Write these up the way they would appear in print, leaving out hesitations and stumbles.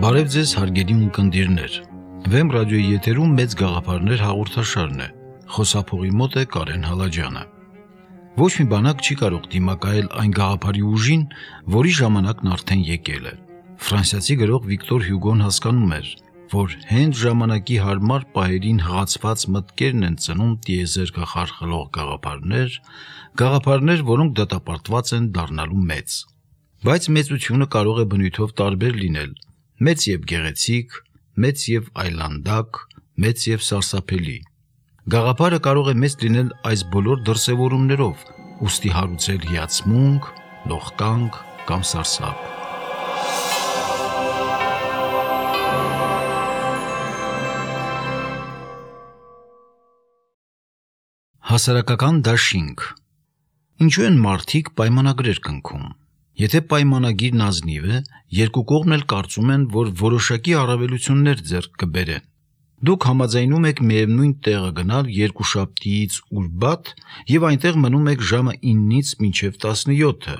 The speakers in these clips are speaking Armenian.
Բարև ձեզ հարգելի ունկնդիրներ, Վեմ ռադիոյի եթերում մեծ գաղափարներ հաղորդաշարն է, խոսափողի մոտ է Կարեն Հալաջյանը։ Ոչ մի բանակ չի կարող դիմակայել այն գաղափարի ուժին, որի ժամանակն արդեն եկել է։ Ֆրանսիացի գրող Վիկտոր Հյուգոն հասկանում էր, որ հենց ժամանակի հարմար պահերին հղացված մտքերն են ծնում տիեզերքը խարխլող գաղափարներ, որոնք դատապարտված են դառնալու մեծ։ Բայց մեծությունը կարող է բնույթով տարբեր լինել, մեծ և գեղեցիկ, մեծ և այլանդակ, մեծ և սարսափելի։ Գաղափարը կարող է մեծ լինել այս բոլոր դրսևորումներով, ուստի հարուցել հիացմունք, լողկանք կամ սարսափ։ Հասարակական դաշինք։ Ինչու են մարդիկ պայմանագրեր կնքում։ Եթե պայմանագիրն ազնիվ է, երկու կողմն էլ կարծում են, որ որոշակի առավելություններ ձեռք կբերեն։ Դուք համաձայնում եք միևնույն տեղը գնալ երկուշաբթիից ուրբաթ և այնտեղ մնում եք ժամը 9-ից մինչև 17-ը,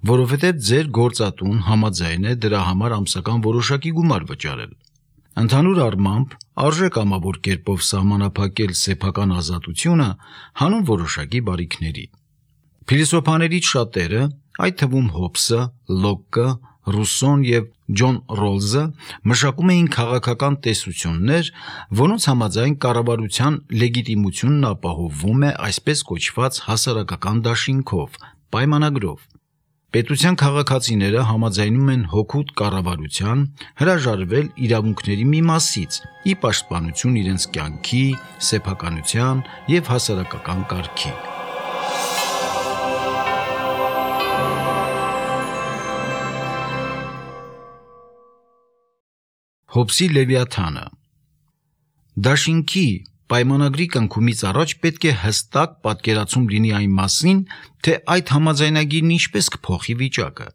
որովհետև ձեր գործատուն համաձայն է դրա համար ամսական որոշակի գումար վճարել։ Ընդհանուր առմամբ, արժե կամավոր կերպով սահմանափակել սեփական ազատությունը հանուն որոշակի բարիքների։ Փիլիսոփաներից շատերը, այդ թվում Հոբսը, Լոկը, Ռուսոն և Ջոն Ռոլզը մշակում էին քաղաքական տեսություններ, որոնց համաձայն կառավարության լեգիտիմությունն ապահովվում է այսպես կոչված հասարակական դաշինքով, պայմանագրով։ Պետության քաղաքացիները համաձայնում են հօգուտ կառավարության հրաժարվել իրավունքների մի մասից՝ ի պաշտպանություն իրենց կյանքի, սեփականության և հասարակական կարգի։ Հոբսի Լևիաթանը։ Դաշինքի պայմանագրի կնքումից առաջ պետք է հստակ պատկերացում լինի այն մասին, թե այդ համաձայնագիրն ինչպես կփոխի վիճակը։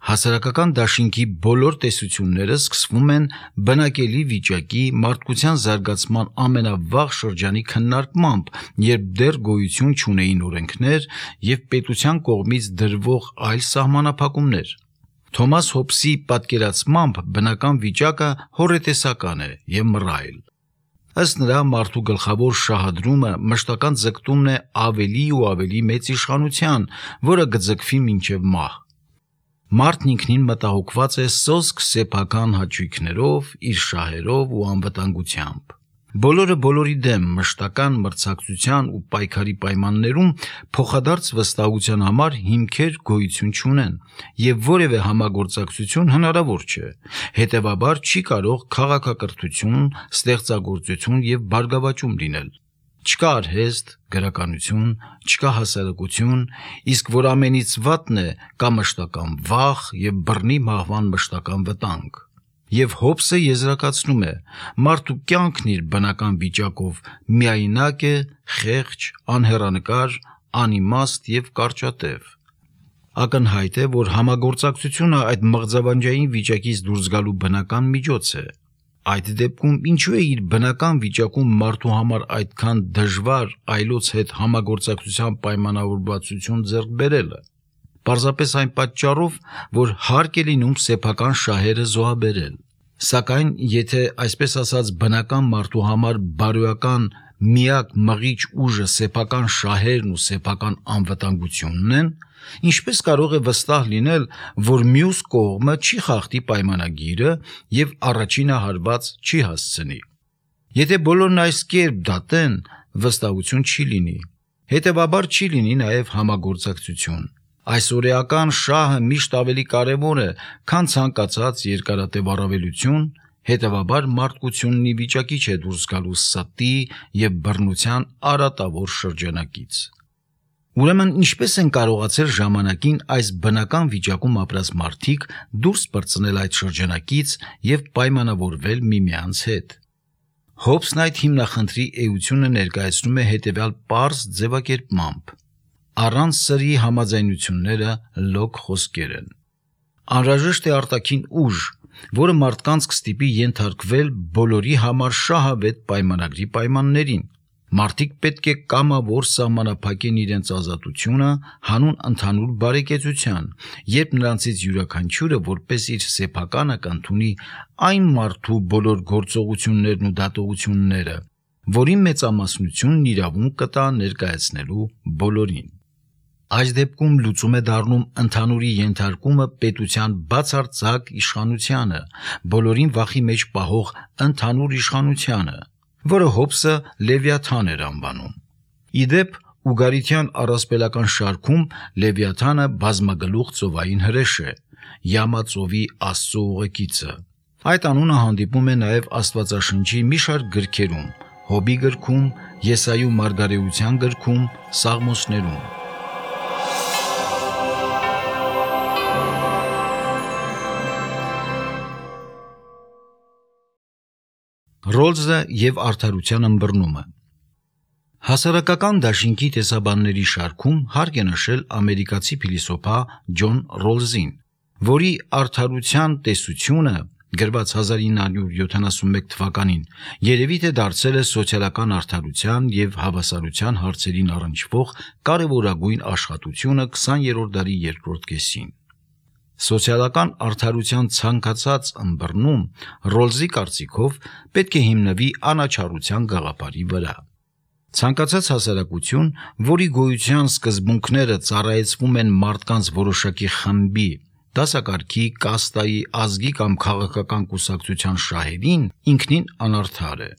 Հասարակական դաշինքի բոլոր տեսությունները սկսվում են բնակելի վիճակի, մարդկության զարգացման ամենավաղ շրջանի քննարկմամբ, երբ դեռ գոյություն չունեին օրենքներ և պետության կողմից դրվող այլ սահմանափակումներ։ Թոմաս Հոբսի պատկերացմամբ բնական վիճակը հոռետեսական է և մռայլ։ Ըստ նրա, մարդու գլխավոր շահադրումը մշտական ձգտումն է ավելի ու ավելի մեծ իշխանության, որը կձգվի մինչև մահ։ Մարդն ինքնին մտահոգված է սոսկ սեփական հաճույքներով, իր շահերով ու անվտանգությամբ։ Բոլորը բոլորի դեմ մշտական մրցակցության ու պայքարի պայմաններում փոխադարձ վստահության համար հիմքեր գոյություն չունեն, և որևէ համագործակցություն հնարավոր չէ, հետևաբար չի կարող քաղաքակրթություն, ստեղծագործություն և բարգավաճում լինել։ Չկա արհեստ, գրականություն, չկա հասարակություն, իսկ որ ամենից վատն է, կա մշտական վախ և բռնի մահվան մշտական վտանգ։ Եվ Հոբսը եզրակացնում է. մարդու կյանքն իր բնական վիճակով միայնակ է, խեղճ, անհեռանկար, անիմաստ և կարճատև։ Ակնհայտ է, որ համագործակցությունը այդ մղձավանջային վիճակից դուրս գալու բնական միջոց է։ Այդ դեպքում ինչու է իր բնական վիճակում մարդու համար այդքան դժվար այլոց հետ համագործակցության պայմանավորվածություն ձեռք բերելը։ Պարզապես այն պատճառով, որ հարկ է լինում սեփական շահերը զոհաբերել։ Սակայն, եթե այսպես ասած բնական մարդու համար բարոյական միակ մղիչ ուժը սեփական շահերն ու սեփական անվտանգությունն են, ինչպես կարող է վստահ լինել, որ մյուս կողմը չի խախտի պայմանագիրը և առաջինը հարված չի հասցնի։ Եթե բոլորն այս կերպ դատեն, վստահություն չի լինի, հետևաբար չի լինի նաև համագործակցություն։ Այսօրեական շահը միշտ ավելի կարևոր է, քան ցանկացած երկարատև առավելություն, հետևաբար մարդկությունն ի վիճակի չէ դուրս գալու ստի և բռնության արատավոր շրջանակից։ Ուրեմն ինչպես են կարողացել ժամանակին այս բնական վիճակում ապրած մարդիկ դուրս պրծնել այդ շրջանակից և պայմանավորվել միմյանց հետ։ Հոբսն այդ հիմնախնդրի էությունը ներկայացնում է հետևյալ պարզ ձևակերպմամբ. առանց սրի համաձայնությունները լոկ խոսքեր են։ Անհրաժեշտ է արտաքին ուժ, որը մարդկանց կստիպի ենթարկվել բոլորի համար շահավետ պայմանագրի պայմաններին։ Մարդիկ պետք է կամավոր սահմանափակեն իրենց ազատությունը հանուն ընդհանուր բարեկեցության, երբ նրանցից յուրաքանչյուրը որպես իր սեփականը կընդունի այն մարդու բոլոր գործողություններն ու դատողությունները, որի մեծամասնությունն իրավունք կտա ներկայացնելու բոլորին։ Այս դեպքում լուծում է դառնում ընդհանուրի ենթարկումը պետության բացարձակ իշխանությանը, բոլորին վախի մեջ պահող ընդհանուր իշխանությանը, որը Հոբսը Լևիաթան էր անվանում։ Իդեպ Ուգարիթյան առասպելական շարքում Լևիաթանը բազմագլուխ ծովային հրեշ է, Յամա ծովի Աստծո ուղեկիցը։ Այդ անունը հանդիպում է նաև Աստվածաշնչի մի շարք գրքերում՝ Հոբի գրքում, Եսայու մարգարեության գրքում, Սաղմոսներում։ Ռոլզը և արդարության ըմբռնումը։ Հասարակական դաշինքի տեսաբանների շարքում հարկ է նշել ամերիկացի փիլիսոփա Ջոն Ռոլզին, որի արդարության տեսությունը գրված 1971 թվականին երևի թե դարձել է սոցիալական արդարության և հավասարության հարցերին առնչվող կարևորագույն աշխատությունը 20-րդ դարի երկրորդ կեսին։ Սոցիալական արդարության ցանկացած ըմբռնում Ռոլզի կարծիքով պետք է հիմնվի անաչառության գաղափարի վրա։ Ցանկացած հասարակություն, որի գոյության սկզբունքները ծառայեցվում են մարդկանց որոշակի խմբի, դասակարգի, կաստայի, ազգի կամ քաղաքական կուսակցության շահերին, ինքնին անարդար է։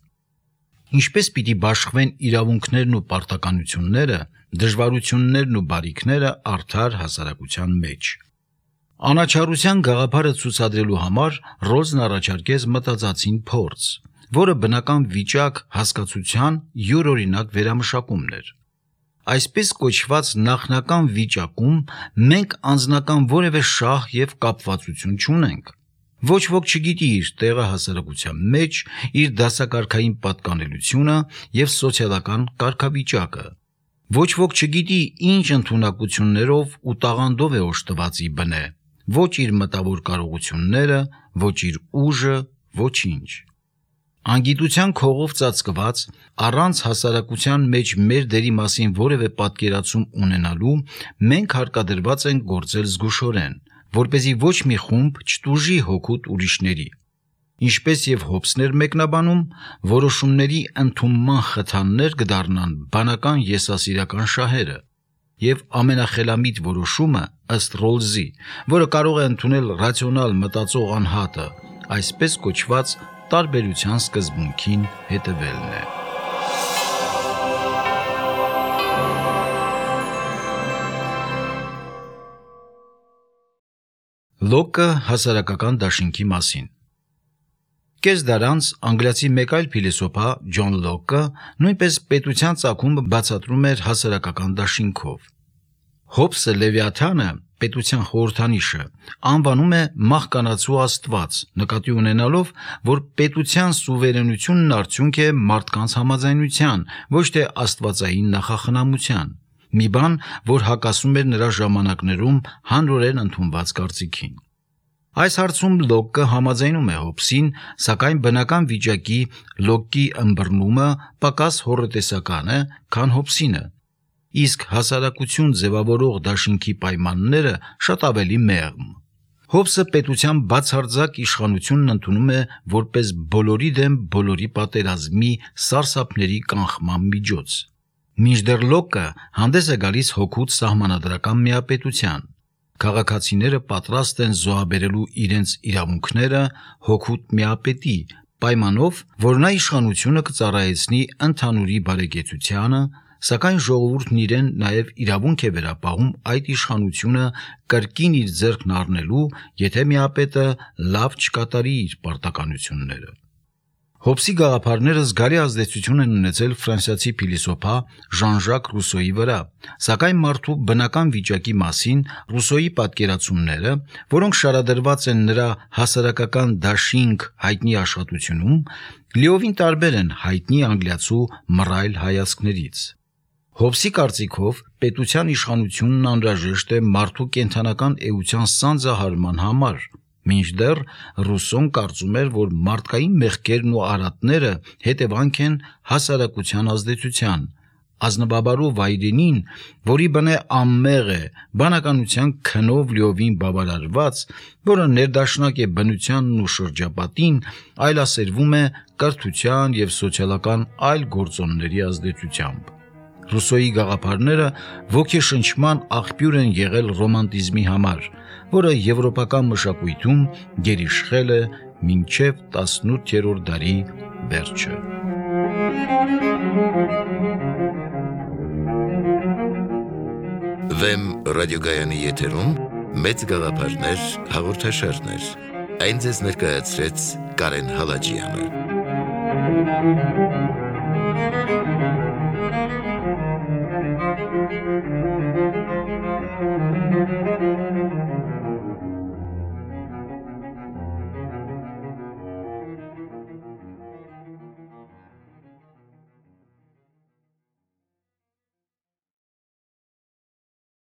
Ինչպես պիտի բաշխվեն իրավունքներն ու պարտականությունները, դժվարություններն ու բարիքները արդար հասարակության մեջ։ Անաչառության գաղափարը ցուցադրելու համար Ռոլզն առաջարկեց մտածածին փորձ, որը բնական վիճակ հասկացության յուրօրինակ վերամշակումն էր։ Այսպես կոչված նախնական վիճակում մենք անձնական որևէ շահ և կապվածություն չունենք։ Ոչ ոք չգիտի իր տեղը հասարակության մեջ, իր դասակարգային պատկանելությունը և սոցիալական կարգավիճակը։ Ոչ ոք չգիտի ինչ ընդունակություններով ու տաղանդով է օժտված ի բնե, ոչ իր մտավոր կարողությունները, ոչ իր ուժը, ոչինչ։ Անգիտության քողով ծածկված, առանց հասարակության մեջ մեր դերի մասին որևէ պատկերացում ունենալու, մենք հարկադրված ենք գործել զգուշորեն, որպեսզի ոչ մի խումբ չտուժի հօգուտ ուրիշների։ Ինչպես և Հոբսն էր մեկնաբանում, որոշումների ընդունման խթաններ կդառնան բանական եսասիրական շահերը, և ամենախելամիտ որոշումը, ըստ Ռոլզի, որը կարող է ընդունել ռացիոնալ մտածող անհատը, այսպես կոչված տարբերության սկզբունքին հետևելն է։ Լոկը հասարակական դաշինքի մասին։ Կես դար անց անգլիացի մեկ այլ փիլիսոփա Ջոն Լոկը նույնպես պետության ծագումը բացատրում էր հասարակական դաշինքով։ Հոբսը Լևիաթանը, պետության խորհրդանիշը, անվանում է մահկանացու աստված, նկատի ունենալով, որ պետության սուվերենությունն արդյունք է մարդկանց համաձայնության, ոչ թե աստվածային նախախնամության, մի բան, որ հակասում էր նրա ժամանակներում հանրորեն ընդունված կարծիքին։ Այս հարցում Լոկը համաձայնում է Հոբսին, սակայն բնական վիճակի Լոկի ըմբռնումը պակաս հոռետեսական է, քան Հոբսինը, իսկ հասարակություն ձևավորող դաշինքի պայմանները շատ ավելի մեղմ։ Հոբսը պետության բացարձակ իշխանությունն ընդունում է որպես բոլորի դեմ բոլորի պատերազմի սարսափների կանխման միջոց, մինչդեռ Լոկը հանդես է գալիս հօգուտ սահմանադրական միապետության։ Քաղաքացիները պատրաստ են զոհաբերելու իրենց իրավունքները հօգուտ միապետի, պայմանով, որ նա իշխանությունը կծառայեցնի ընդհանուրի բարեկեցությանը, սակայն ժողովուրդն իրեն նաև իրավունք է վերապահում այդ իշխանությունը կրկին իր ձեռքն առնելու, եթե միապետը լավ չկատարի իր պարտականությունները։ Հոբսի գաղափարները զգալի ազդեցություն են ունեցել ֆրանսիացի փիլիսոփա Ժան-Ժակ Ռուսոյի վրա, սակայն մարդու բնական վիճակի մասին Ռուսոյի պատկերացումները, որոնք շարադրված են նրա հասարակական դաշինք հայտնի աշխատությունում, լիովին տարբեր են հայտնի անգլիացու մռայլ հայացքներից։ Հոբսի կարծիքով պետության իշխանությունն անհրաժեշտ է մարդու կենդանական էության սանձահարման համար, Մինչդեռ Ռուսոն կարծում էր, որ մարդկային մեղքերն ու արատները հետևանք են հասարակության ազդեցության, ազնվաբարու վայրենին, որի բնե անմեղ է, բանականության քնով լիովին բավարարված, որը ներդաշնակ է բնությանն ու շրջապատին, այլասերվում է կրթության և սոցիալական այլ գործոնների ազդեցությամբ։ Ռուսոյի գաղափարները ոգեշնչման աղբյուր են եղել ռոմանտիզմի համար, որը եվրոպական մշակույթում գերիշխել է մինչև 18-րդ դարի վերջը։ Վեմ ռադիոգայանի եթերում մեծ գաղափարներ հաղորդաշարներ։ Այն ձեզ ներկայացրեց Կարեն Հալաջյանը։